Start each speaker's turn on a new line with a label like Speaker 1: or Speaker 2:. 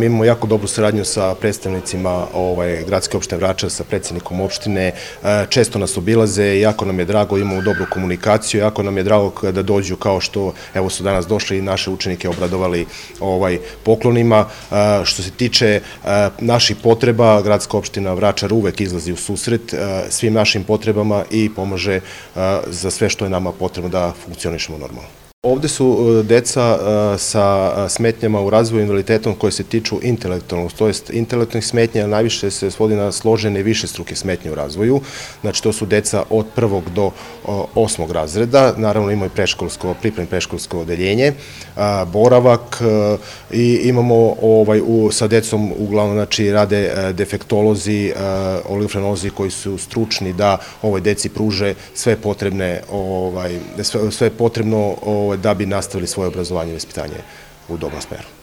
Speaker 1: Mi imamo jako dobru saradnju sa predstavnicima gradske opštine Vračar, sa predsjednikom opštine, često nas obilaze i jako nam je drago, imamo dobru komunikaciju, jako nam je drago da dođu kao što, evo su danas došli i naše učenike obradovali poklonima. Što se tiče naših potreba, gradska opština Vračar uvek izlazi u susret svim našim potrebama i pomaže za sve što je nama potrebno da funkcionišemo normalno. Ovde su deca sa smetnjama u razvoju invaliditetom koje se tiču intelektualnog, to jest intelektualnih smetnja, najviše se svodi na složene višestruke smetnje u razvoju. Znači, to su deca od 1. do 8. razreda, naravno imaju pripremno predškolsko odeljenje, boravak i imamo sa decom uglavnom, znači, rade defektolozi, oligofrenozi koji su stručni da ovoj deci pruže sve potrebno da bi nastavili svoje obrazovanje i vaspitanje u dobrom smeru.